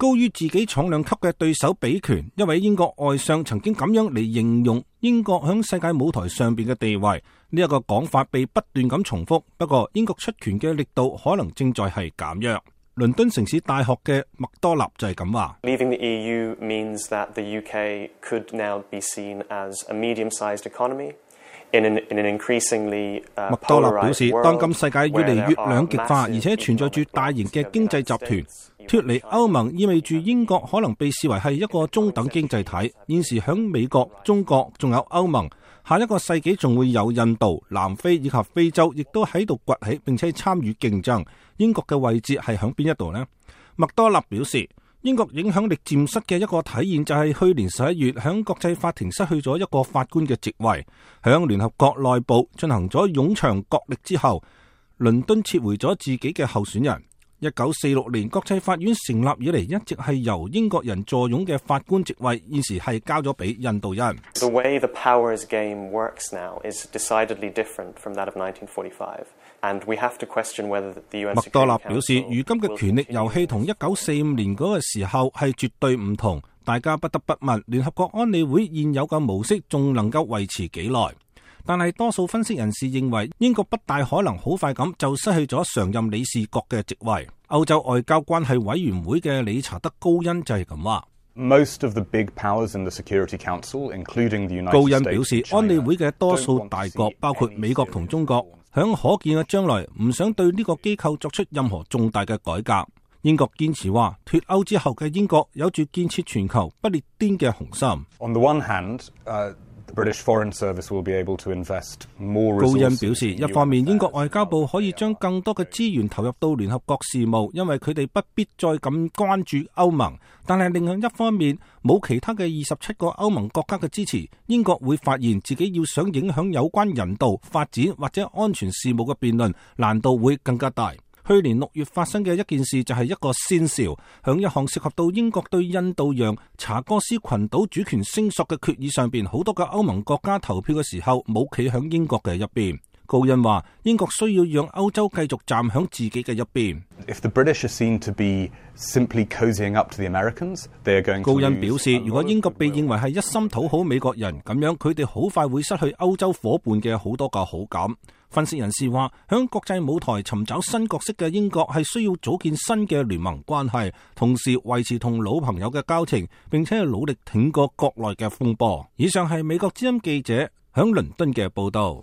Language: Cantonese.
高於自己重量級嘅對手比權。一位英國外相曾經咁樣嚟形容英國響世界舞台上邊嘅地位，呢一個講法被不斷咁重複。不過英國出拳嘅力度可能正在係減弱。倫敦城市大學嘅麥多納就係咁話。Leaving the EU means that the UK could now be seen as a medium-sized economy in an increasingly polarized world。麥多納表示，當今世界越嚟越兩極化，而且存在住大型嘅經濟集團。脫離歐盟意味住英國可能被視為係一個中等經濟體。現時響美國、中國仲有歐盟，下一個世紀仲會有印度、南非以及非洲，亦都喺度崛起並且參與競爭。英國嘅位置係響邊一度呢？麥多納表示，英國影響力漸失嘅一個體現就係去年11月響國際法庭失去咗一個法官嘅席位。響聯合國內部進行咗冗長角力之後，倫敦撤回咗自己嘅候選人。1946年國際法院成立以嚟，一直係由英國人坐擁嘅法官席位，現時係交咗俾印度人。The way the powers game works now is decidedly different from that of 1945, and we have to question whether the UN。麥多納表示，如今嘅權力遊戲同1945年嗰個時候係絕對唔同，大家不得不問聯合國安理會現有嘅模式仲能夠維持幾耐？但係多數分析人士認為，英國不大可能好快咁就失去咗常任理事國嘅席位。歐洲外交關係委員會嘅理查德高恩就係咁話。高恩表示，安理會嘅多數大國，包括美國同中國，響可見嘅將來唔想對呢個機構作出任何重大嘅改革。英國堅持話，脫歐之後嘅英國有住建設全球不列顛嘅雄心。On the one hand, British Foreign Service will be able to invest more resources。 高恩表示，一方面英國外交部可以將更多嘅資源投入到聯合國事務，因為佢哋不必再咁關注歐盟。但係另一方面，冇其他嘅27個歐盟國家嘅支持，英國會發現自己要想影響有關人道、發展或者安全事務嘅辯論，難度會更加大。去年6月發生嘅一件事就係一個先兆，響一項涉及到英國對印度洋查哥斯群島主權聲索嘅決議上邊，好多嘅歐盟國家投票嘅時候冇企響英國嘅一邊。高恩話，英國需要讓歐洲繼續站響自己嘅一邊。If the British are seen to be simply cozying up to the Americans, they are going to lose。 高恩表示，如果英國被認為係一心討好美國人，咁樣佢哋好快會失去歐洲夥伴嘅好多個好感。分析人士話，響國際舞台尋找新角色嘅英國係需要組建新嘅聯盟關係，同時維持同老朋友嘅交情，並且努力挺過國內嘅風波。以上係美國之音記者響倫敦嘅報道。